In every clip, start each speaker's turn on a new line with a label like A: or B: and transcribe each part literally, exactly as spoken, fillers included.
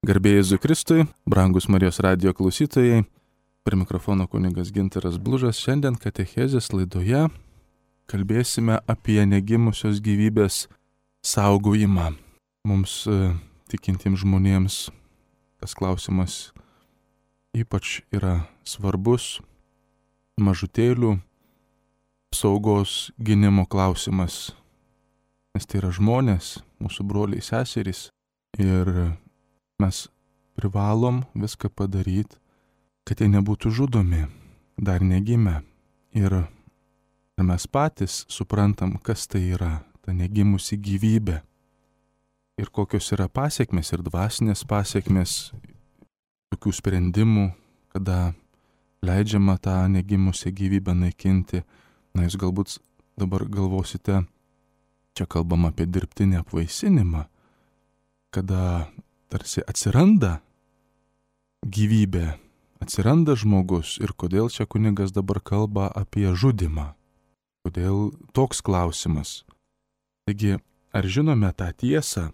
A: Garbė Jėzui Kristui, brangus Marijos radijo klausytojai, prie mikrofono kunigas Gintaras Blužas. Šiandien katechezės laidoje kalbėsime apie negimusios gyvybės saugojimą. Mums tikintiems žmonėms tas klausimas ypač yra svarbus, mažutėlių saugos gynimo klausimas, nes tai yra žmonės, mūsų broliai seserys ir mes privalom viską padaryti, kad jie nebūtų žudomi, dar negimę. Ir mes patys suprantam, kas tai yra, ta negimusi gyvybė. Ir kokios yra pasiekmes ir dvasinės pasiekmes tokių sprendimų, kada leidžiama tą negimusią gyvybę naikinti. Na, jūs galbūt dabar galvosite, čia kalbam apie dirbtinį apvaisinimą, kada tarsi atsiranda gyvybė, atsiranda žmogus ir kodėl čia kunigas dabar kalba apie žudymą. Kodėl toks klausimas? Taigi, ar žinome tą tiesą,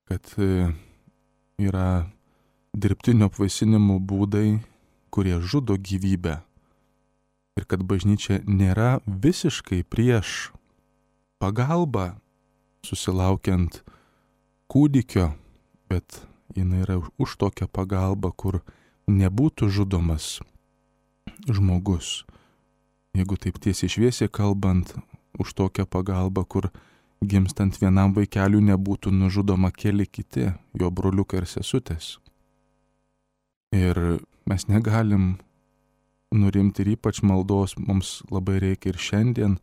A: kad yra dirbtinio apvaisinimo būdai, kurie žudo gyvybę ir kad bažnyčia nėra visiškai prieš pagalbą susilaukiant kūdikio, bet jinai yra už tokią pagalbą, kur nebūtų žudomas žmogus. Jeigu taip tiesiai šviesiai kalbant, už tokią pagalbą, kur gimstant vienam vaikeliui nebūtų nužudoma keli kiti, jo broliukai ir sesutės. Ir mes negalim nurimti ir ypač maldos mums labai reikia ir šiandien,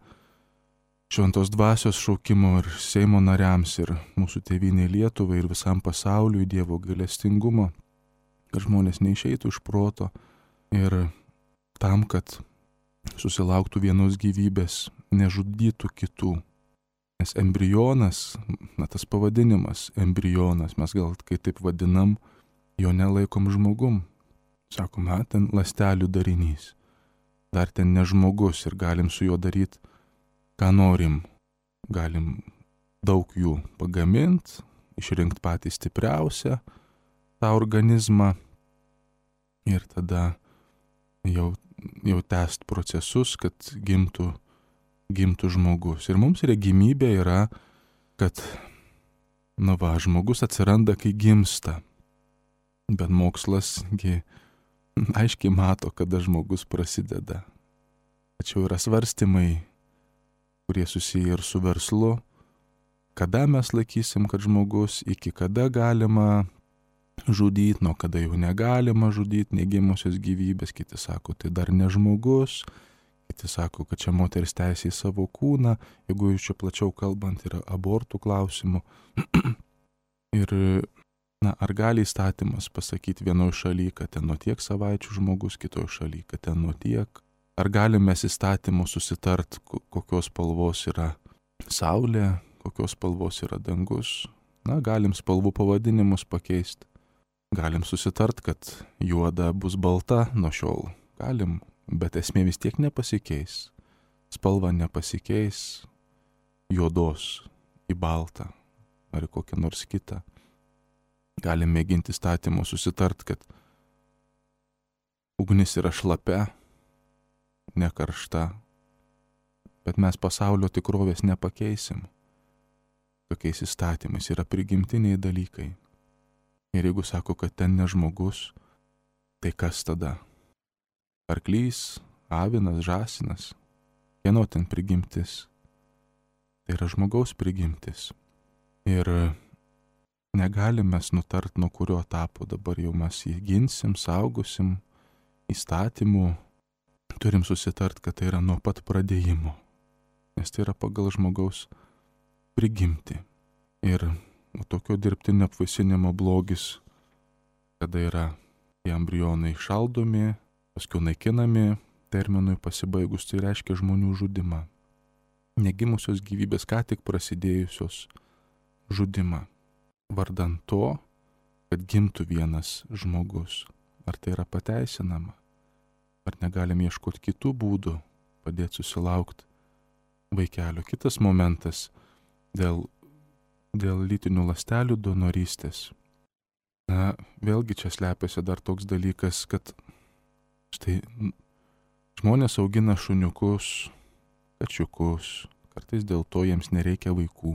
A: šventos dvasios šaukimo ir Seimo nariams ir mūsų tėvynei Lietuvai ir visam pasauliui Dievo gailestingumo, kad žmonės neišeitų iš proto ir tam, kad susilauktų vienos gyvybės, nežudytų kitų. Nes embrionas, na tas pavadinimas, embrionas, mes gal kai taip vadinam, jo nelaikom žmogum. Sakome, ten ląstelių darinys, dar ten ne žmogus ir galim su juo daryti ką norim, galim daug jų pagaminti, išrinkti patį stipriausią tą organizmą ir tada jau, jau tęst procesus, kad gimtų, gimtų žmogus. Ir mums regimybė yra, kad, na va, žmogus atsiranda, kai gimsta, bet mokslasgi aiškiai mato, kada žmogus prasideda. Tačiau yra svarstymai, kurie susiję ir su verslu, kada mes laikysim, kad žmogus, iki kada galima žudyti, nuo kada jau negalima žudyti negimusios gyvybės, kiti sako, tai dar ne žmogus, kiti sako, kad čia moters teisė į savo kūną, jeigu jūs čia plačiau kalbant, yra abortų klausimų. Ir, na, ar gali įstatymas pasakyti vienoje šalyje, kad ten nuo tiek savaičių žmogus, kitoje šalyje, kad ten nuo tiek. Ar galime įstatymu susitart, kokios spalvos yra saulė, kokios spalvos yra dangus? Na, galim spalvų pavadinimus pakeisti. Galim susitart, kad juoda bus balta nuo šiol. Galim, bet esmė vis tiek nepasikeis. Spalva nepasikeis juodos į baltą ar į kokią nors kitą. Galim mėginti įstatymu susitart, kad ugnis yra šlapia, ne karšta, bet mes pasaulio tikrovės nepakeisim. Tokiais įstatymais yra prigimtiniai dalykai. Ir jeigu sako, kad ten ne žmogus, tai kas tada? Arklys, avinas, žąsinas, kieno ten prigimtis? Tai yra žmogaus prigimtis. Ir negalim mes nutart, nuo kurio etapo dabar jau mes jį ginsim, saugosim įstatymų. Turim susitart, kad tai yra nuo pat pradėjimo, nes tai yra pagal žmogaus prigimti. Ir tokio dirbtinio apvaisinimo blogis, kada yra tie embrionai šaldomi, paskui naikinami terminui pasibaigus, tai reiškia žmonių žudimą. Negimusios gyvybės ką tik prasidėjusios žudimą. Vardan to, kad gimtų vienas žmogus. Ar tai yra pateisinama? Ar negalim ieškoti kitų būdų padėti susilaukti vaikelio? Kitas momentas dėl, dėl lytinių ląstelių donorystės. Na, vėlgi čia slepiasi dar toks dalykas, kad štai žmonės augina šuniukus, kačiukus, kartais dėl to jiems nereikia vaikų,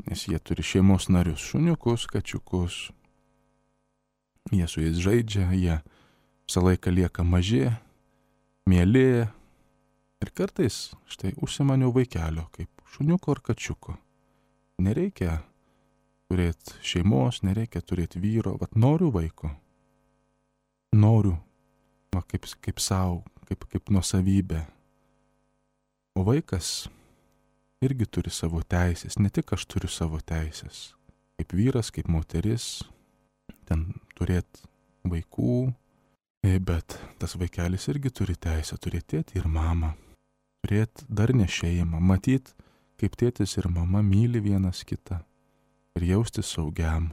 A: nes jie turi šeimos narius, šuniukus, kačiukus, jie su jais žaidžia, jie visą laiką lieka maži, mieli ir kartais štai užsimaniau vaikelio, kaip šuniuko ar kačiuko. Nereikia turėti šeimos, nereikia turėti vyro, vat noriu vaiko, noriu, va, kaip, kaip savo, kaip, kaip nuosavybė. O vaikas irgi turi savo teisės, ne tik aš turiu savo teisės. Kaip vyras, kaip moteris, ten turėti vaikų, bet tas vaikelis irgi turi teisę turėti tėtį ir mamą, turėti darnę šeimą, matyti, kaip tėtis ir mama myli vienas kitą ir jaustis saugiam.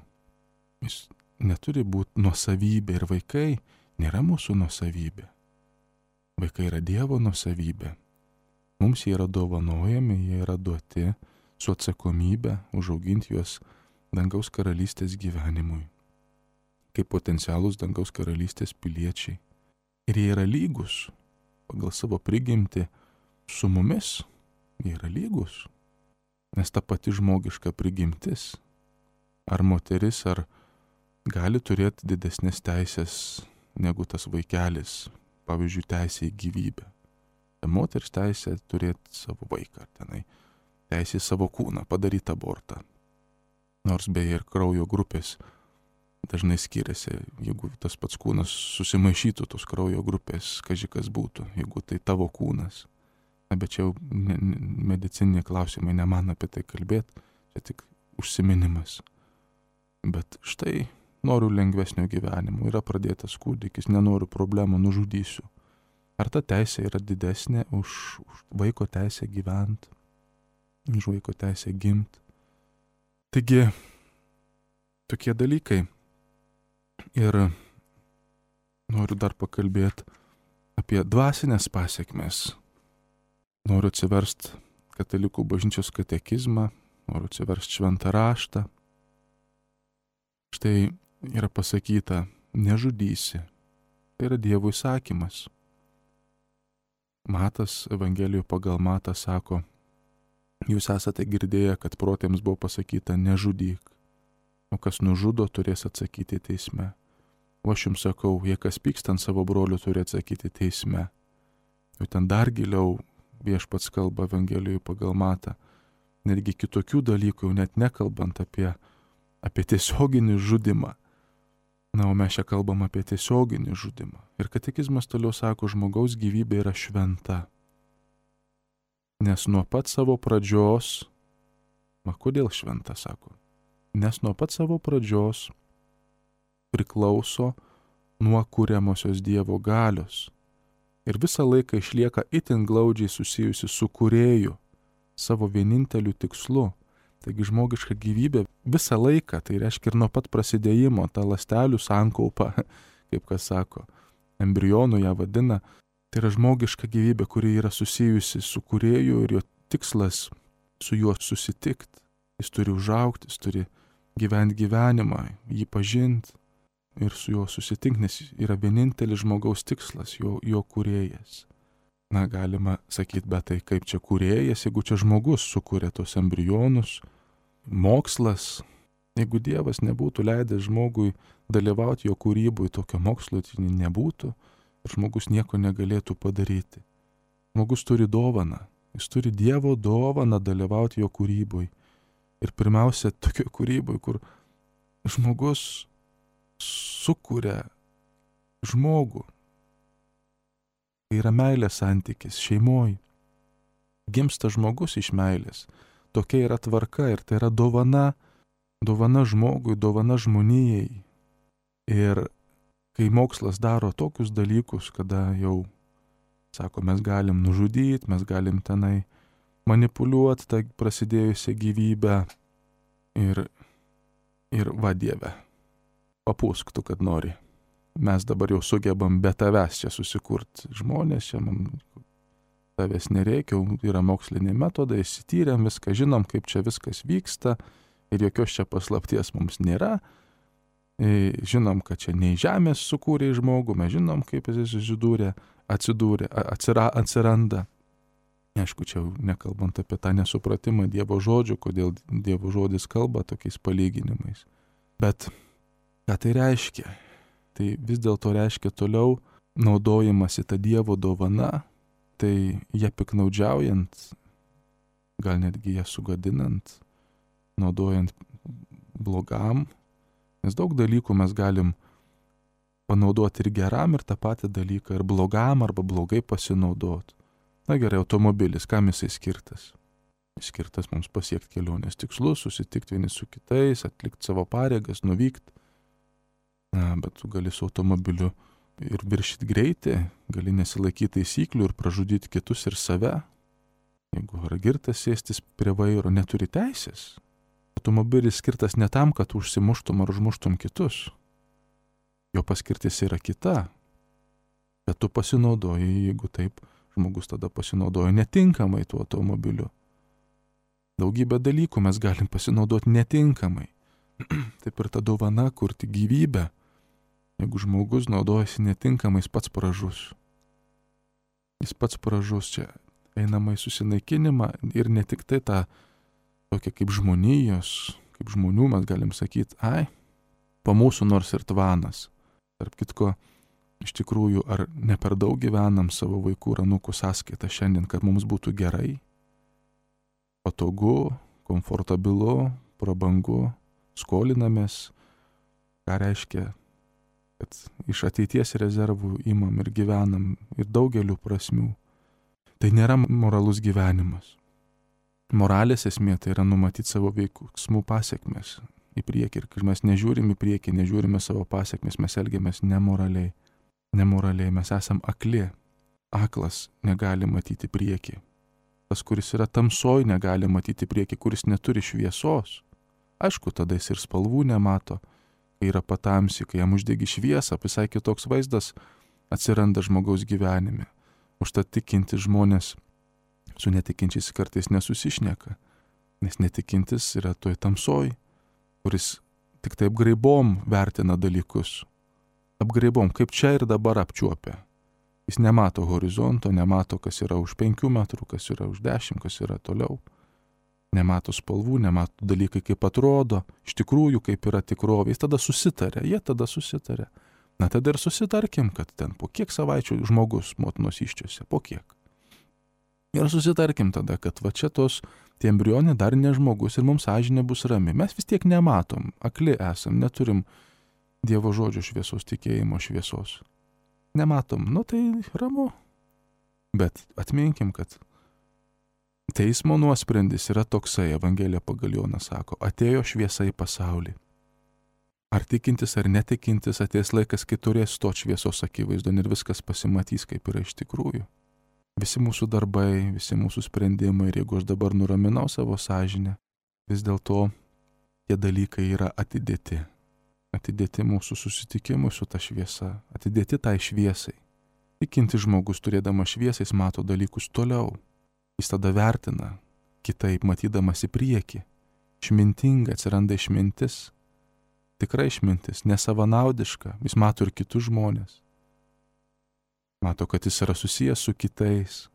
A: Jis neturi būti nuosavybė ir vaikai nėra mūsų nuosavybė. Vaikai yra Dievo nuosavybė. Mums jie yra dovanojami, jie yra duoti su atsakomybė užauginti juos dangaus karalystės gyvenimui, kaip potencialus dangaus karalystės piliečiai. Ir jie yra lygus pagal savo prigimtį su mumis, jie yra lygus, nes ta pati žmogiška prigimtis, ar moteris, ar gali turėti didesnės teisės negu tas vaikelis, pavyzdžiui, teisė į gyvybę. Moteris teisė turėti savo vaiką, tenai, teisė į savo kūną, padaryti abortą. Nors beje ir kraujo grupės dažnai skiriasi, jeigu tas pats kūnas susimaišytų tos kraujo grupės, kažkas būtų, jeigu tai tavo kūnas. Na, bet čia jau ne, ne, medicininiai klausimai, ne man apie tai kalbėti, čia tik užsiminimas. Bet štai noriu lengvesnio gyvenimo, yra pradėtas kūdikis, nenoriu problemų, nužudysiu. Ar ta teisė yra didesnė už, už vaiko teisę gyventi, už vaiko teisę gimti? Taigi, tokie dalykai. Ir noriu dar pakalbėti apie dvasinės pasiekmes. Noriu atsiversti Katalikų bažnyčios katekizmą, noriu atsiversti Šventą raštą. Štai yra pasakyta, nežudysi. Tai yra Dievo įsakymas. Matas, Evangelijoje pagal Matą sako, jūs esate girdėję, kad protėms buvo pasakyta nežudyk, o kas nužudo turės atsakyti teisme. O aš jums sakau, jei kas pyksta ant savo brolių turi atsakyti teisme. Jau ten dar giliau Viešpats kalba Evangelijoje pagal Matą, netgi kitokių dalykų, jau net nekalbant apie, apie tiesioginį žudimą. Na, o mes čia kalbam apie tiesioginį žudimą. Ir katekizmas toliau sako, žmogaus gyvybė yra šventa. Nes nuo pat savo pradžios, ma kodėl šventa, sako, nes nuo pat savo pradžios priklauso nuo kuriamosios Dievo galios. Ir visą laiką išlieka itin glaudžiai susijusi su kūrėju, savo vieninteliu tikslu. Taigi žmogiška gyvybė visą laiką, tai reiškia ir nuo pat prasidėjimo, ta ląstelių sankaupa, kaip kas sako, embrionų ją vadina, tai yra žmogiška gyvybė, kuri yra susijusi su kūrėju ir jo tikslas su juo susitikti. Jis turi užaugti, jis turi gyventi gyvenimą, jį pažinti ir su juo susitikti, nes yra vienintelis žmogaus tikslas, jo, jo kūrėjas. Na, galima sakyti, bet tai kaip čia kūrėjas, jeigu čia žmogus sukūrė tos embrionus, mokslas, jeigu Dievas nebūtų leidęs žmogui dalyvauti jo kūrybui, tokio mokslo tai nebūtų ir žmogus nieko negalėtų padaryti. Žmogus turi dovaną, jis turi Dievo dovaną dalyvauti jo kūrybui. Ir pirmiausia, tokio kūrybui, kur žmogus sukuria žmogų. Tai yra meilės santykis šeimoje. Gimsta žmogus iš meilės. Tokia yra tvarka ir tai yra dovana, dovana žmogui, dovana žmonijai. Ir kai mokslas daro tokius dalykus, kada jau, sako, mes galim nužudyti, mes galim tenai manipuliuoti tą prasidėjusią gyvybę ir, ir va Dieve, papūsk tu, kad nori. Mes dabar jau sugebam be tavęs čia susikurti žmonės, čia mums tavęs nereikia, yra moksliniai metodai, įsityrėm viską, žinom, kaip čia viskas vyksta ir jokios čia paslapties mums nėra. Žinom, kad čia nei žemės sukūrė žmogų, mes žinom, kaip jis atsidūrė, atsidūrė, atsira, atsiranda. Aišku, čia nekalbant apie tą nesupratimą Dievo žodžių, kodėl Dievo žodis kalba tokiais palyginimais. Bet ką tai reiškia? Tai vis dėlto reiškia toliau naudojimasi tą Dievo dovana, tai ją piknaudžiaujant, gal netgi ją sugadinant, naudojant blogam, nes daug dalykų mes galim panaudoti ir geram, ir tą patį dalyką, ir blogam, arba blogai pasinaudoti. Na gerai, automobilis, kam jisai skirtas? Jis skirtas mums pasiekti kelionės tikslus, susitikti vieni su kitais, atlikti savo pareigas, nuvykti. Na, bet tu gali su automobiliu ir viršyti greitį, gali nesilaikyti taisyklių ir pražudyti kitus ir save. Jeigu yra girtas sėstis prie vairo, neturi teisės. Automobilis skirtas ne tam, kad užsimuštum ar užmuštum kitus. Jo paskirtis yra kita. Bet tu pasinaudoji, jeigu taip, žmogus tada pasinaudoja netinkamai tuo automobiliu. Daugybę dalykų mes galim pasinaudoti netinkamai. Taip ir ta dovana kurti gyvybę. Jeigu žmogus naudojasi netinkamai, jis pats pražus. Jis pats pražus, čia einama į susinaikinimą ir ne tik tai tą tokia kaip žmonijos, kaip žmonių mes galim sakyti, ai, po mūsų nors ir tvanas. Tarp kitko, iš tikrųjų, ar ne per daug gyvenam savo vaikų ir anūkų sąskaitą šiandien, kad mums būtų gerai, patogu, komfortabilu, prabangu, skolinamės, ką reiškia, kad iš ateities rezervų imam ir gyvenam ir daugeliu prasmių. Tai nėra moralus gyvenimas. Moralės esmė tai yra numatyti savo veiksmų pasiekmes į priekį. Ir kai mes nežiūrim į priekį, nežiūrime savo pasiekmes, mes elgiamės nemoraliai. Nemoraliai mes esam akli. Aklas negali matyti priekį. Tas, kuris yra tamsoj, negali matyti priekį, kuris neturi šviesos. Aišku, tada jis ir spalvų nemato. Kai yra patamsi, kai jam uždegi šviesą, visai kitoks vaizdas atsiranda žmogaus gyvenime. Užtat tikinti žmonės su netikinčiais kartais nesusišneka, nes netikintis yra toj tamsoj, kuris tik taip apgraibom vertina dalykus. Apgraibom, kaip čia ir dabar apčiuopia. Jis nemato horizonto, nemato, kas yra už penkių metrų, kas yra už dešimt, kas yra toliau. Nemato spalvų, nemato dalykai, kaip atrodo, iš tikrųjų, kaip yra tikrovė. Jis tada susitarė, jie tada susitarė. Na tada ir susitarkim, kad ten po kiek savaičių žmogus motinos iščiose, po kiek. Ir susitarkim tada, kad va čia tos tie embrionai dar ne žmogus ir mums sąžinė bus rami. Mes vis tiek nematom, akli esam, neturim Dievo žodžio šviesos, tikėjimo šviesos. Nematom, nu tai ramu. Bet atminkim, kad teismo nuosprendis yra toksai, Evangelija pagal Joną sako, atėjo šviesa į pasaulį. Ar tikintis ar netikintis ateis laikas, kai turės to šviesos akivaizdon ir viskas pasimatys, kaip yra iš tikrųjų. Visi mūsų darbai, visi mūsų sprendimai, ir jeigu aš dabar nuraminau savo sąžinę, vis dėlto tie dalykai yra atidėti. Atidėti mūsų susitikimui su ta šviesa, atidėti tai šviesai. Tikintis žmogus, turėdamas šviesą, jis mato dalykus toliau. Jis tada vertina, kitaip matydamas į priekį. Išmintinga atsiranda išmintis. Tikra išmintis, nesavanaudiška, jis mato ir kitus žmonės. Mato, kad jis yra susijęs su kitais.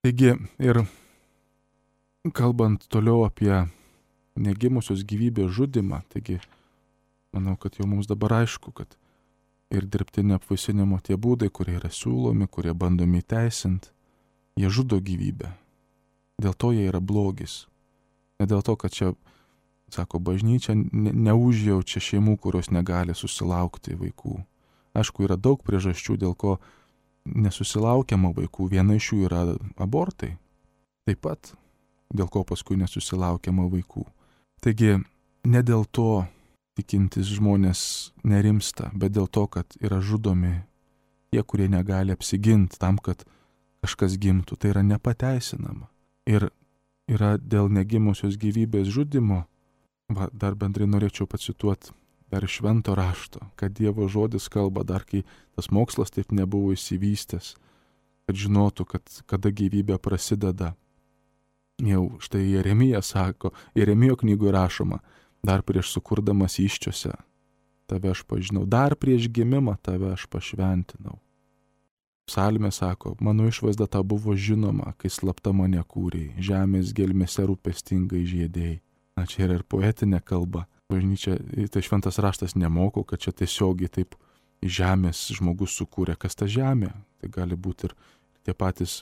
A: Taigi, ir kalbant toliau apie negimusios gyvybės žudimą, taigi, manau, kad jau mums dabar aišku, kad ir dirbtinio apvaisinimo tie būdai, kurie yra siūlomi, kurie bandomi įteisinti, jie žudo gyvybę. Dėl to jie yra blogis. Ne dėl to, kad čia, sako, bažnyčia ne, neužjaučia šeimų, kurios negali susilaukti vaikų. Aišku, yra daug priežasčių, dėl ko nesusilaukiama vaikų. Viena iš jų yra abortai. Taip pat, dėl ko paskui nesusilaukiama vaikų. Taigi, ne dėl to tikintis žmonės nerimsta, bet dėl to, kad yra žudomi tie, kurie negali apsiginti tam, kad kažkas gimtų. Tai yra nepateisinama. Ir yra dėl negimusios gyvybės žudimo, va, dar bendrai norėčiau pacituoti dar švento rašto, kad Dievo žodis kalba dar, kai tas mokslas taip nebuvo išsivystęs, kad žinotų, kad kada gyvybė prasideda. Jau štai Jeremija sako, Jeremijo knygoje rašoma, dar prieš sukurdamas įsčiose tave aš pažinau, dar prieš gimimą tave aš pašventinau. Psalmė sako, mano išvaizda ta buvo žinoma, kai slapta mane kūrei, žemės gelmėse rūpestingai žiedėjai. Na, čia yra ir poetinė kalba. Bažnyčia, tai šventas raštas nemoko, kad čia tiesiogiai taip žemės žmogus sukūrė. Kas ta žemė? Tai gali būti ir tie patys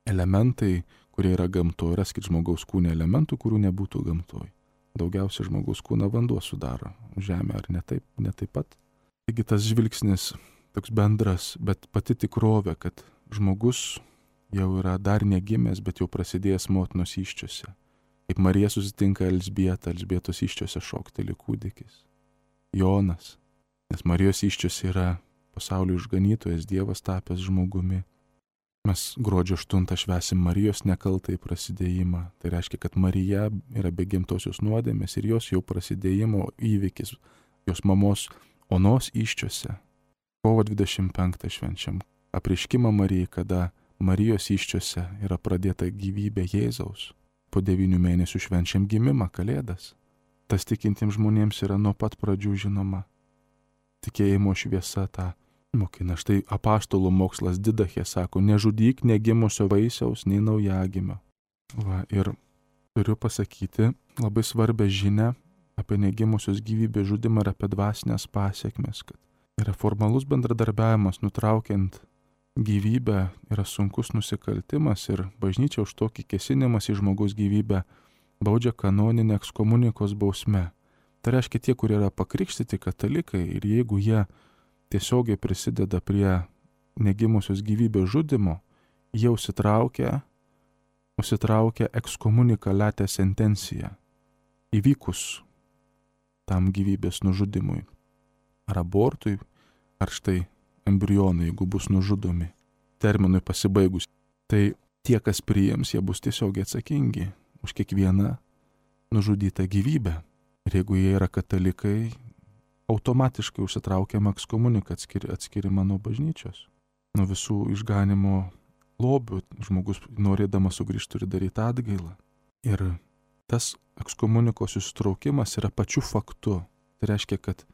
A: elementai, kurie yra gamtoje. Raskit žmogaus kūne elementų, kurių nebūtų gamtoje. Daugiausia žmogaus kūną vanduo sudaro. Žemė ar ne taip, ne taip pat? Taigi tas žvilgsnis toks bendras, bet pati tikrovė, kad žmogus jau yra dar negimęs, bet jau prasidėjęs motinos įsčiose. Kaip Marija susitinka Elzbietą, Elzbietos įsčiose šokteli kūdikis. Jonas, nes Marijos įsčiose yra pasaulio išganytojas, Dievas tapęs žmogumi. Mes gruodžio aštuntą švęsim Marijos nekaltąjį prasidėjimą. Tai reiškia, kad Marija yra be gimtosios nuodėmės ir jos jau prasidėjimo įvykis, jos mamos onos įsčiose. Kovo dvidešimt penktą švenčiam apreiškimą Marijai, kada Marijos įsčiose yra pradėta gyvybė Jėzaus. Po devynių mėnesių švenčiam gimimą, Kalėdas. Tas tikintiems žmonėms yra nuo pat pradžių žinoma. Tikėjimo šviesa tą mokina. Štai apaštalų mokslas Didachė sako, nežudyk negimusio vaisiaus nei naujagimio. Va, ir turiu pasakyti labai svarbią žinią apie negimusios gyvybės žudimą ir apie dvasinės pasiekmes, kad yra formalus bendradarbiavimas nutraukiant gyvybę, yra sunkus nusikaltimas ir bažnyčia už tokį kėsinimas į žmogaus gyvybę baudžia kanoninę ekskomunikos bausme. Tai reiškia tie, kurie yra pakrikštyti katalikai ir jeigu jie tiesiogiai prisideda prie negimusios gyvybės žudimo, jie užsitraukia, užsitraukia ekskomunikaliatę sentenciją įvykus tam gyvybės nužudimui. Ar abortui, ar štai embrionai, jeigu bus nužudomi terminui pasibaigus. Tai tie, kas priims, jie bus tiesiogiai atsakingi už kiekvieną nužudytą gyvybę. Ir jeigu jie yra katalikai, automatiškai užsitraukiama ekskomunika, atskiri, atskirimą nuo bažnyčios. Nuo visų išganimo lobių žmogus norėdamas sugrįžti turi daryti atgailą. Ir tas ekskomunikos susitraukimas yra pačiu faktu. Tai reiškia, kad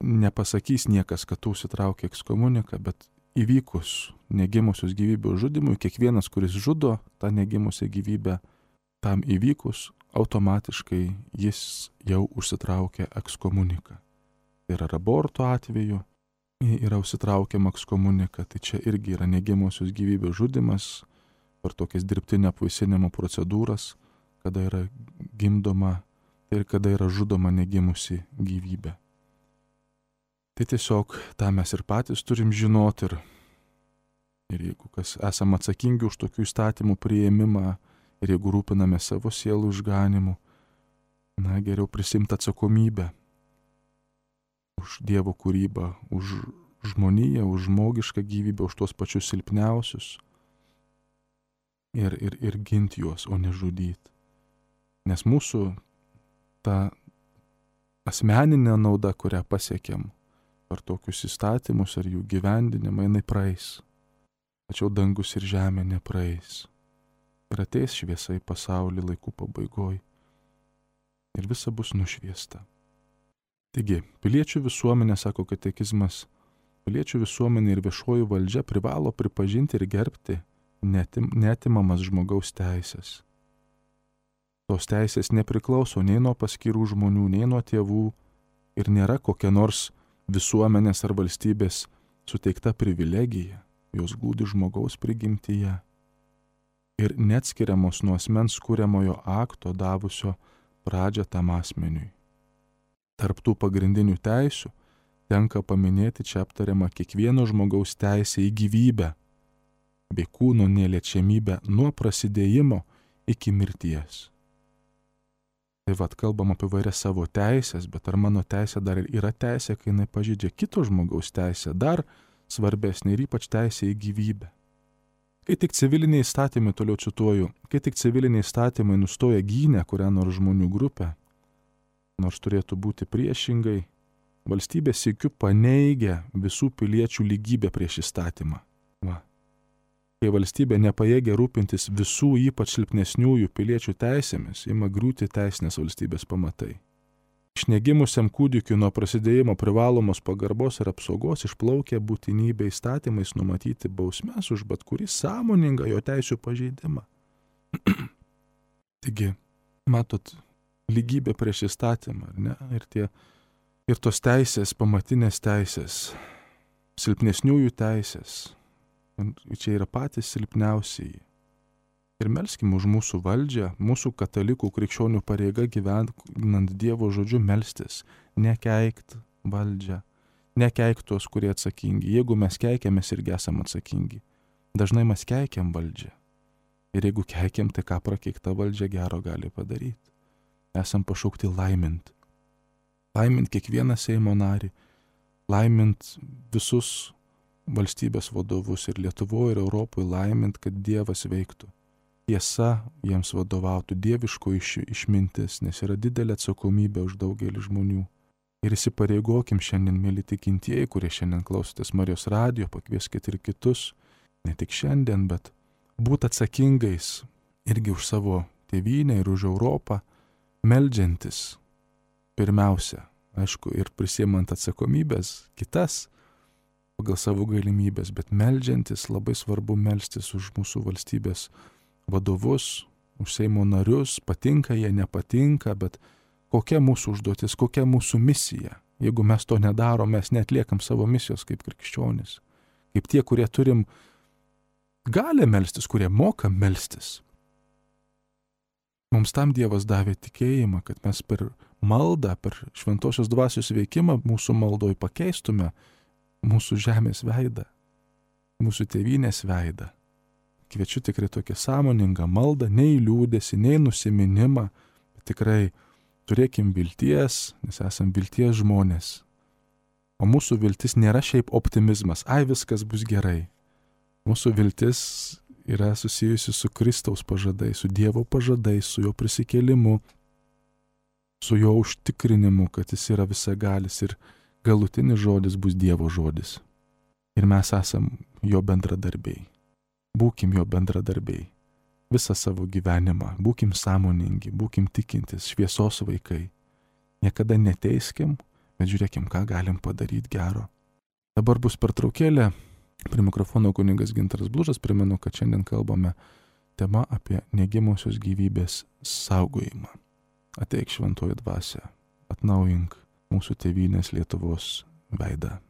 A: nepasakys niekas, kad tu užsitraukia ekskomuniką, bet įvykus negimusios gyvybės žudimui, kiekvienas, kuris žudo tą negimusią gyvybę, tam įvykus, automatiškai jis jau užsitraukia ekskomuniką. Ir aborto atveju yra užsitraukiama ekskomunika, tai čia irgi yra negimusios gyvybės žudimas per tokias dirbtinio apvaisinimo procedūras, kada yra gimdoma ir kada yra žudoma negimusi gyvybė. Tai tiesiog tą mes ir patys turim žinoti ir, ir jeigu kas esam atsakingi už tokių įstatymų priėmimą ir jeigu rūpiname savo sielų išganimu, na, geriau prisimti atsakomybę už Dievo kūrybą, už žmoniją, už žmogišką gyvybę, už tuos pačius silpniausius ir, ir, ir ginti juos, o ne žudyti. Nes mūsų ta asmeninė nauda, kurią pasiekėm per tokius įstatymus ar jų gyvendinimą, jinai praeis. Tačiau dangus ir žemė nepraeis. Ir ateis šviesa į pasaulį laikų pabaigoj. Ir visa bus nušviesta. Taigi, piliečių visuomenė, sako katekizmas, piliečių visuomenė ir viešoji valdžia privalo pripažinti ir gerbti netim, netimamas žmogaus teisės. Tos teisės nepriklauso nei nuo paskirų žmonių, nei nuo tėvų ir nėra kokia nors visuomenės ar valstybės suteikta privilegija, jos glūdi žmogaus prigimtyje ir neatskiriamos nuo asmens kuriamojo akto davusio pradžią tam asmeniui. Tarp tų pagrindinių teisių tenka paminėti čia aptariamą kiekvieno žmogaus teisę į gyvybę bei kūno neliečiamybę nuo prasidėjimo iki mirties. Tai vad kalbam apie vairias savo teisės, bet ar mano teisė dar yra teisė, kai jinai pažeidžia kito žmogaus teisę, dar svarbesnė ir ypač teisė į gyvybę. Kai tik civiliniai įstatymai, toliau cituoju, kai tik civiliniai įstatymai nustoja gynę kurią nors žmonių grupę, nors turėtų būti priešingai, valstybė sykiu paneigia visų piliečių lygybę prieš įstatymą. Va. Kai valstybė nepajėgia rūpintis visų ypač silpnesniųjų piliečių teisėmis, ima griūti teisinės valstybės pamatai. Iš negimusiam kūdikiu nuo prasidėjimo privalomos pagarbos ir apsaugos išplaukia būtinybė įstatymais numatyti bausmes už bet kurį sąmoningą jo teisių pažeidimą. Taigi, matot, lygybė prieš įstatymą, ar ne? Ir, tie, ir tos teisės, pamatinės teisės, silpnesniųjų teisės, čia yra patys silpniausiai. Ir melskim už mūsų valdžią, mūsų katalikų krikščionių pareiga gyvenant Dievo žodžiu melstis, nekeikt valdžią, nekeikt tuos, kurie atsakingi. Jeigu mes keikiam, mes irgi esam atsakingi. Dažnai mes keikiam valdžią. Ir jeigu keikiam, tai ką prakeikta valdžia gero gali padaryti. Esam pašaukti laimint. Laimint kiekvieną Seimo narį, laimint visus valstybės vadovus ir Lietuvoje, ir Europoje, laimint, kad Dievas veiktų. Tiesa jiems vadovautų, dieviško iš, išmintis, nes yra didelė atsakomybė už daugelį žmonių. Ir įsipareigokim šiandien, mėly tikintieji, kurie šiandien klausotės Marijos radijo, pakvieskit ir kitus, ne tik šiandien, bet būt atsakingais irgi už savo tėvynę ir už Europą, meldžiantis pirmiausia, aišku, ir prisimant atsakomybės kitas pagal savo galimybės, bet meldžiantis labai svarbu melstis už mūsų valstybės vadovus, už Seimo narius, patinka jie, nepatinka, bet kokia mūsų užduotis, kokia mūsų misija. Jeigu mes to nedarom, mes netliekam savo misijos kaip krikščionys. Kaip tie, kurie turim gali melstis, kurie moka melstis. Mums tam Dievas davė tikėjimą, kad mes per maldą, per šventosios dvasios veikimą mūsų maldoj pakeistume mūsų žemės veidą, mūsų tėvynės veidą. Kviečiu tikrai tokią sąmoningą maldą, nei liūdėsi, nei nusiminimą, bet tikrai turėkim vilties, nes esam vilties žmonės. O mūsų viltis nėra šiaip optimizmas, ai viskas bus gerai. Mūsų viltis yra susijusi su Kristaus pažadais, su Dievo pažadais, su jo prisikėlimu, su jo užtikrinimu, kad jis yra visagalis ir galutinis žodis bus Dievo žodis. Ir mes esam jo bendradarbiai. Būkim jo bendradarbiai visą savo gyvenimą, būkim sąmoningi, būkim tikintis, šviesos vaikai. Niekada neteiskim, bet žiūrėkim, ką galim padaryti gero. Dabar bus pertraukėlė. Prie mikrofono kunigas Gintaras Blužas. Primenu, kad šiandien kalbame tema apie negimusios gyvybės saugojimą. Ateik šventoji dvasia, atnaujink mūsų tėvynės Lietuvos veidą.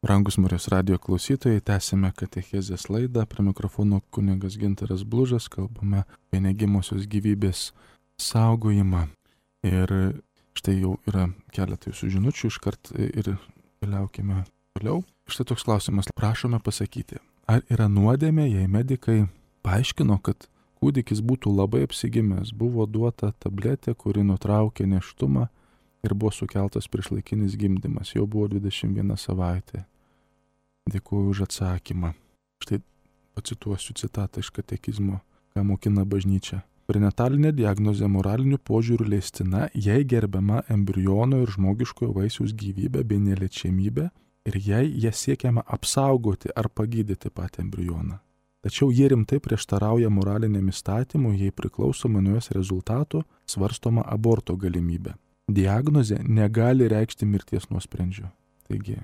A: Brangus Marijos radijo klausytojai, tęsime katechezės laidą. Prie mikrofono kunigas Gintaras Blužas, kalbame apie negimosios gyvybės saugojimą. Ir štai jau yra keletą jūsų žinučių, iškart ir keliaukime toliau. Štai toks klausimas, prašome pasakyti, ar yra nuodėmė, jei medikai paaiškino, kad kūdikis būtų labai apsigimęs, buvo duota tabletė, kuri nutraukė nėštumą ir buvo sukeltas priešlaikinis gimdymas, jau buvo dvidešimt viena savaitė. Dėkuoju už atsakymą. Štai pacituosiu citatą iš katekizmo, ką mokina bažnyčia. Prenatalinė diagnozė moraliniu požiūriu leistina, jei gerbiama embriono ir žmogiškojo vaisiaus gyvybė bei neliečiamybė ir jei ją siekiama apsaugoti ar pagydyti patį embrioną. Tačiau jie rimtai prieštarauja moraliniam įstatymui, jei priklausomai nuo jos rezultatų svarstoma aborto galimybė. Diagnozė negali reikšti mirties nuosprendžio. Taigi,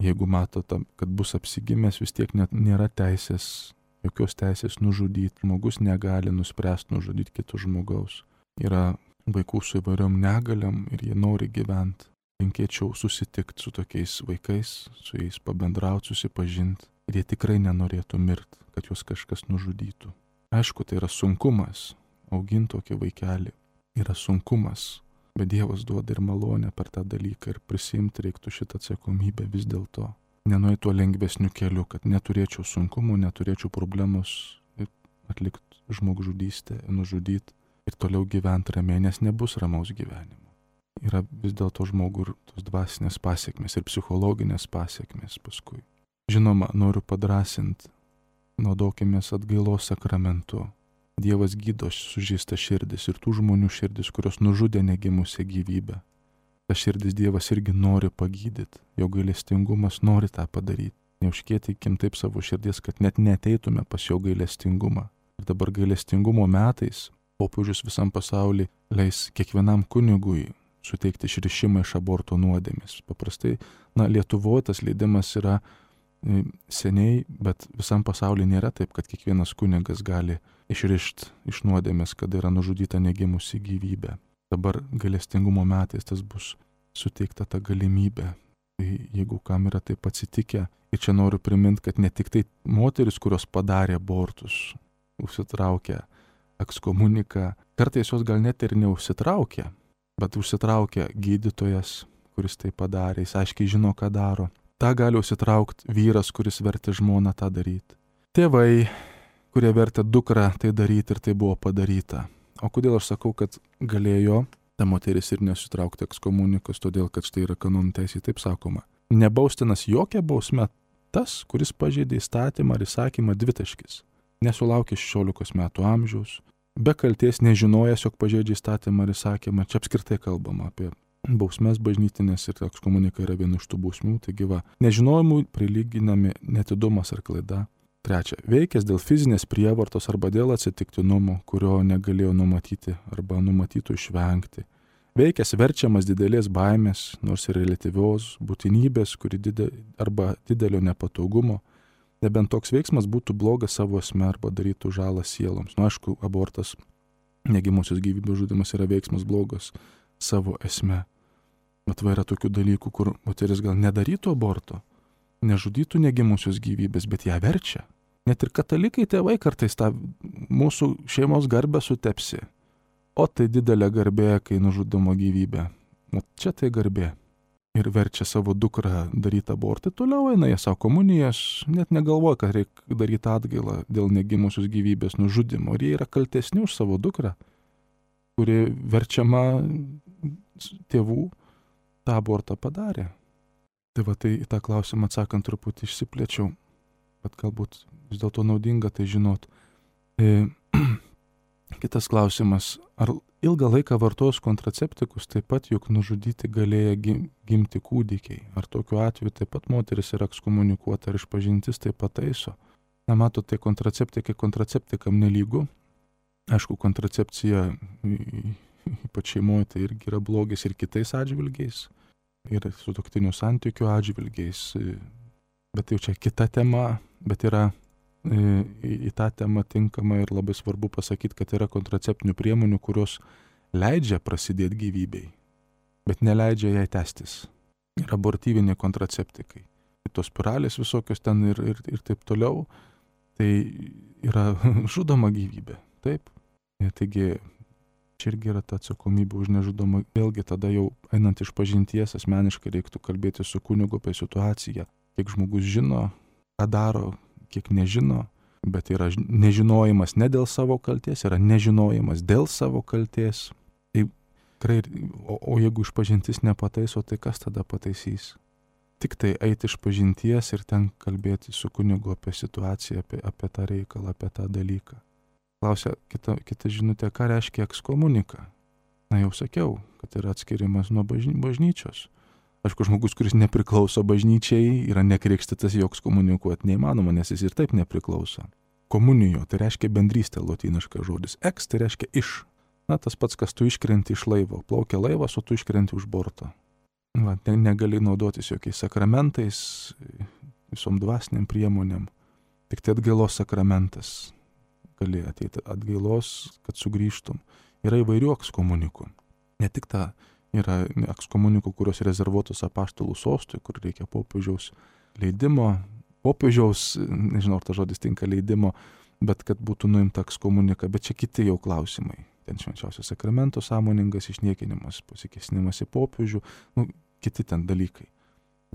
A: jeigu matote, kad bus apsigimęs, vis tiek net nėra teisės, jokios teisės nužudyti. Žmogus negali nuspręsti nužudyti kito žmogaus. Yra vaikų su įvairiom negaliam ir jie nori gyventi. Linkėčiau susitikti su tokiais vaikais, su jais pabendrauti, susipažinti. Ir jie tikrai nenorėtų mirti, kad juos kažkas nužudytų. Aišku, tai yra sunkumas. Auginti tokį vaikelį yra sunkumas. Bet Dievas duoda ir malonę per tą dalyką ir prisimti reiktų šitą atsakomybę vis dėlto. Nenuėti tuo lengvesniu keliu, kad neturėčiau sunkumų, neturėčiau problemos atlikti žmogžudystę, nužudyti ir toliau gyventi ramiai, nes nebus ramaus gyvenimo. Yra vis dėlto žmogų ir tos dvasinės pasiekmes ir psichologinės pasiekmes paskui. Žinoma, noriu padrasinti, naudokimės atgailos sakramentu. Dievas gydo sužeistą širdis ir tų žmonių širdis, kurios nužudė negimusią gyvybę. Ta širdis Dievas irgi nori pagydyti, jo gailestingumas nori tą padaryti. Neužkėtykim taip savo širdies, kad net neteitume pas jo gailestingumą. Ir dabar gailestingumo metais popiežius visam pasauly leis kiekvienam kunigui suteikti išrišimą iš aborto nuodėmės. Paprastai, na, Lietuvoje tas leidimas yra seniai, bet visam pasaulyje nėra taip, kad kiekvienas kunigas gali išrišti iš nuodėmės, kada yra nužudyta negimusi gyvybė. Dabar gailestingumo metais tas bus suteikta ta galimybė. Tai jeigu kam yra taip atsitikę, ir čia noriu priminti, kad ne tik tai moteris, kurios padarė abortus, užsitraukė ekskomuniką, kartais jos gal net ir neužsitraukė, bet užsitraukė gydytojas, kuris tai padarė, jis aiškiai žino, ką daro. Ta gali užsitraukti vyras, kuris vertė žmoną tą daryti. Tėvai, kurie vertė dukrą tai daryti ir tai buvo padaryta. O kodėl aš sakau, kad galėjo ta moteris ir nesutraukti ekskomunikos, todėl kad štai yra kanonų teisė, taip sakoma. Nebaustinas jokia bausme tas, kuris pažeidė įstatymą ar įsakymą dvitaškis. Nesulaukė šešiolikos metų amžiaus, be kalties nežinojęs, jog pažeidžia įstatymą ar įsakymą. Čia apskritai kalbama apie bausmes bažnytinės ir ekskomunika yra viena iš tų bausmių. Taigi va, nežinojimui prilyginami netidumas ar klaida. Trečia, veikęs dėl fizinės prievartos arba dėl atsitiktinumo, kurio negalėjo numatyti arba numatytų išvengti. Veikęs verčiamas didelės baimės, nors ir reliatyvios būtinybės, kuri didė, arba didelio nepatogumo, nebent toks veiksmas būtų blogas savo esme arba darytų žalą sieloms. Nu, aišku, abortas, negimusios gyvybės žudymas yra veiksmas blogas savo esme. Bet va yra tokių dalykų, kur moteris gal nedarytų aborto, nežudytų negimusios gyvybės, bet ją verčia. Net ir katalikai tėvai kartais tą mūsų šeimos garbę sutepsi. O tai didelė garbė, kai nužudoma gyvybė. O čia tai garbė. Ir verčia savo dukrą daryti abortą. Toliau eina jie savo komunijas, net negalvoja, kad reikia daryti atgailą dėl negimusios gyvybės nužudimo. Ir jie yra kaltesni už savo dukrą, kuri verčiama tėvų tą abortą padarė. Tai va, tai į tą klausimą atsakant truputį išsiplėčiau, bet galbūt vis dėlto naudinga tai žinot. E, kitas klausimas, ar ilgą laiką vartojus kontraceptikus taip pat juk nužudyti galėjo gimti kūdikiai? Ar tokiu atveju taip pat moteris yra ekskomunikuota ar išpažintis taip pat taiso? Na, matote, kontraceptikai kontraceptikam nelygu. Aišku, kontracepcija ypač šeimoje tai irgi yra blogis ir kitais atžvilgiais, ir sutuoktinių santykių atžvilgiais, bet jau čia kita tema, bet yra į tą temą tinkama ir labai svarbu pasakyti, kad yra kontraceptinių priemonių, kurios leidžia prasidėti gyvybei, bet neleidžia jai tęstis. Ir abortyviniai kontraceptikai. tos spiralės visokios ten ir, ir, ir taip toliau, tai yra žudoma gyvybė, taip. Taigi čia irgi yra ta atsakomybė už nežudomą. Vėlgi tada jau einant iš pažinties asmeniškai reiktų kalbėti su kunigu apie situaciją, kiek žmogus žino, ką daro, kiek nežino, bet yra nežinojimas ne dėl savo kalties, yra nežinojimas dėl savo kalties. Tai tikrai, o, o jeigu išpažintis nepataiso, tai kas tada pataisys? Tik tai eiti iš pažinties ir ten kalbėti su kunigu apie situaciją, apie, apie tą reikalą, apie tą dalyką. Klausia kita, kita žinutė, ką reiškia ekskomunika? Na jau sakiau, kad yra atskirimas nuo bažny, bažnyčios. Aišku, žmogus, kuris nepriklauso bažnyčiai, yra nekrikštytas, joks komunikuoti neįmanoma, nes jis ir taip nepriklauso. Komunijo, tai reiškia bendrystė, lotyniškas žodis. Eks, tai reiškia iš. Na, tas pats, kas tu iškrenti iš laivo. Plaukia laivas, o tu iškrenti už borto. Va, negali naudotis jokiais sakramentais, visom dvasiniam priemonėm. Tik tai atgailos sakramentas gali ateiti atgailos, kad sugrįžtum. Yra įvairių ekskomunikų. Ne tik ta yra ekskomunikų, kurios rezervuotos apaštalų sostui, kur reikia popiežiaus leidimo, popiežiaus, nežinau, ar ta žodis tinka leidimo, bet kad būtų nuimta ekskomunika, bet čia kiti jau klausimai. Ten švenčiausio sakramento sąmoningas išniekinimas, pasikėsinimas į popiežių, nu, kiti ten dalykai.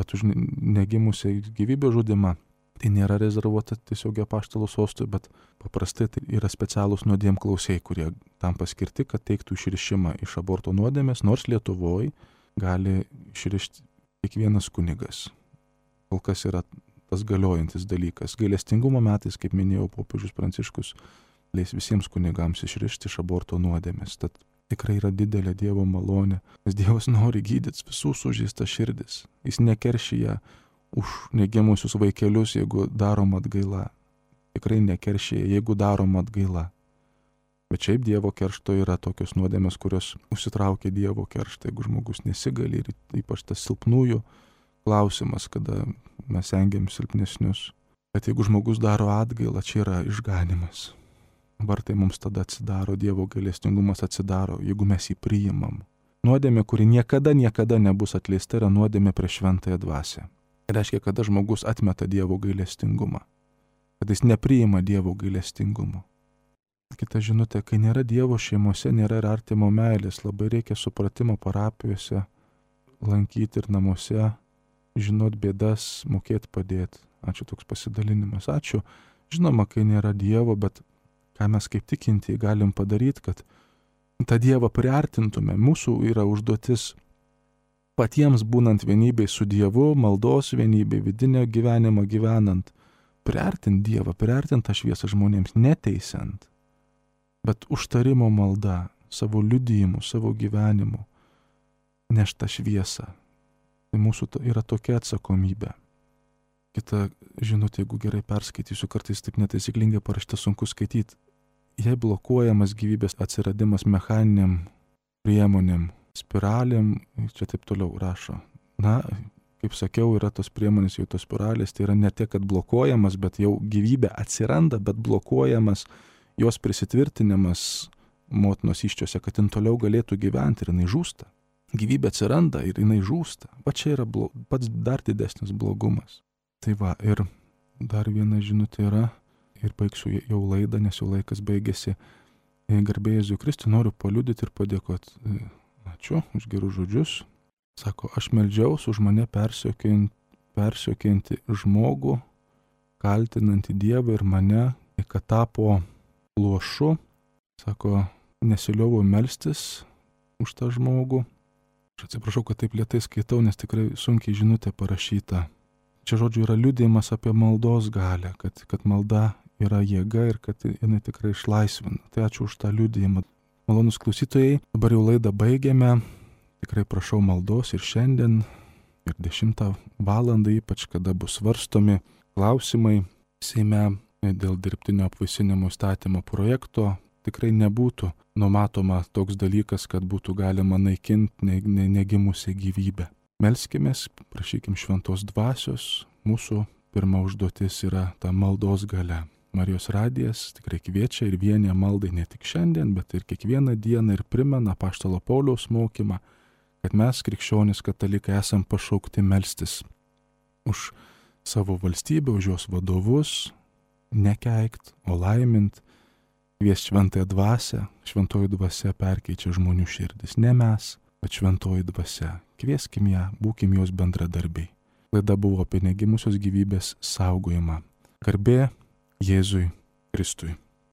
A: Bet už negimusią gyvybę žudimą tai nėra rezervuota tiesiog apaštalų sostui, bet paprastai tai yra specialūs nuodėmklausiai, kurie tam paskirti, kad teiktų išrišimą iš aborto nuodėmės, nors Lietuvoje gali išrišti kiekvienas kunigas. Kol kas yra tas galiojantis dalykas. Gailestingumo metais, kaip minėjau, popiežius Pranciškus leis visiems kunigams išrišti iš aborto nuodėmės. Tad tikrai yra didelė Dievo malonė, nes Dievas nori gydyti visų sužeistas širdis. Jis nekeršyja už negimusius vaikelius, jeigu daroma atgaila. Tikrai nekeršyja, jeigu daroma atgaila. Bet šiaip Dievo keršto yra tokios nuodėmės, kurios užsitraukia Dievo kerštą, jeigu žmogus nesigali, ir ypač tas silpnųjų klausimas, kada mes engiam silpnesnius. Bet jeigu žmogus daro atgailą, čia yra išganimas. Vartai mums tada atsidaro, Dievo gailestingumas atsidaro, jeigu mes jį priimam. Nuodėmė, kuri niekada, niekada nebus atleista, yra nuodėmė prieš šventąją dvasią. Tai reiškia, kada žmogus atmeta Dievo gailestingumą, kad jis nepriima Dievo gailestingumo. Kita žinutė, kai nėra Dievo šeimose, nėra ir artimo meilės, labai reikia supratimo parapijose, lankyti ir namuose, žinot bėdas, mokėti padėti. Ačiū, toks pasidalinimas. Ačiū. Žinoma, kai nėra Dievo, bet ką mes kaip tikintieji galim padaryti, kad tą Dievą priartintume. Mūsų yra užduotis patiems būnant vienybėj su Dievu, maldos vienybėj, vidinio gyvenimo gyvenant, priartinti Dievą, priartinti tą šviesą žmonėms, neteisiant, bet užtarimo malda, savo liudijimu, savo gyvenimu, nešta šviesą. Tai mūsų yra tokia atsakomybė. Kita žinutė, jeigu gerai perskaitysiu, kartais taip netaisyklingai parašyta, sunku skaityti. Jei blokuojamas gyvybės atsiradimas mechaniniam priemonėm, spiralėm, čia taip toliau rašo. Na, kaip sakiau, yra tos priemonės, jau tos spiralės, tai yra ne tiek, kad blokuojamas, bet jau gyvybė atsiranda, bet blokuojamas jos prisitvirtinimas motinos įsčiose, kad jin toliau galėtų gyventi ir jinai žūsta. Gyvybė atsiranda ir jinai žūsta. Va čia yra blo... pats dar didesnis blogumas. Tai va, ir dar viena žinutė yra, ir baigsiu jau laidą, nes jau laikas baigėsi. Garbė Jėzui Kristui, noriu paliudyti ir padėkoti. Ačiū už gerus žodžius. Sako, aš meldžiaus už mane persiokiantį žmogų, kaltinantį Dievą ir mane, kad tapo luošu. Sako, nesiliovau melstis už tą žmogų. Aš atsiprašau, kad taip lėtai skaitau, nes tikrai sunkiai žinutė parašyta. Čia žodžiu yra liudijimas apie maldos galę, kad, kad malda yra jėga ir kad jinai tikrai išlaisvina. Tai ačiū už tą liudijimą. Malonus klausytojai, dabar jau laidą baigėme. Tikrai prašau maldos ir šiandien, ir dešimtą valandą, ypač kada bus svarstomi klausimai Seime dėl dirbtinio apvaisinimo įstatymo projekto. Tikrai nebūtų numatoma toks dalykas, kad būtų galima naikinti ne, ne, negimusią gyvybę. Melskimės, prašykim šventos dvasios. Mūsų pirma užduotis yra ta maldos galia. Marijos radijas tikrai kviečia ir vienė maldai ne tik šiandien, bet ir kiekvieną dieną ir primena apaštalo Pauliaus mokymą, kad mes, krikščionys katalikai, esam pašaukti melstis už savo valstybę, už jos vadovus, nekeikt, o laimint, kviest šventąją dvasią. Šventoji dvasia perkeičia žmonių širdis. Ne mes, bet šventoji dvasia. Kvieskim ją, būkim jos bendradarbiai. Laida buvo apie negimusios gyvybės saugojimą. Garbė Jėzui Kristui.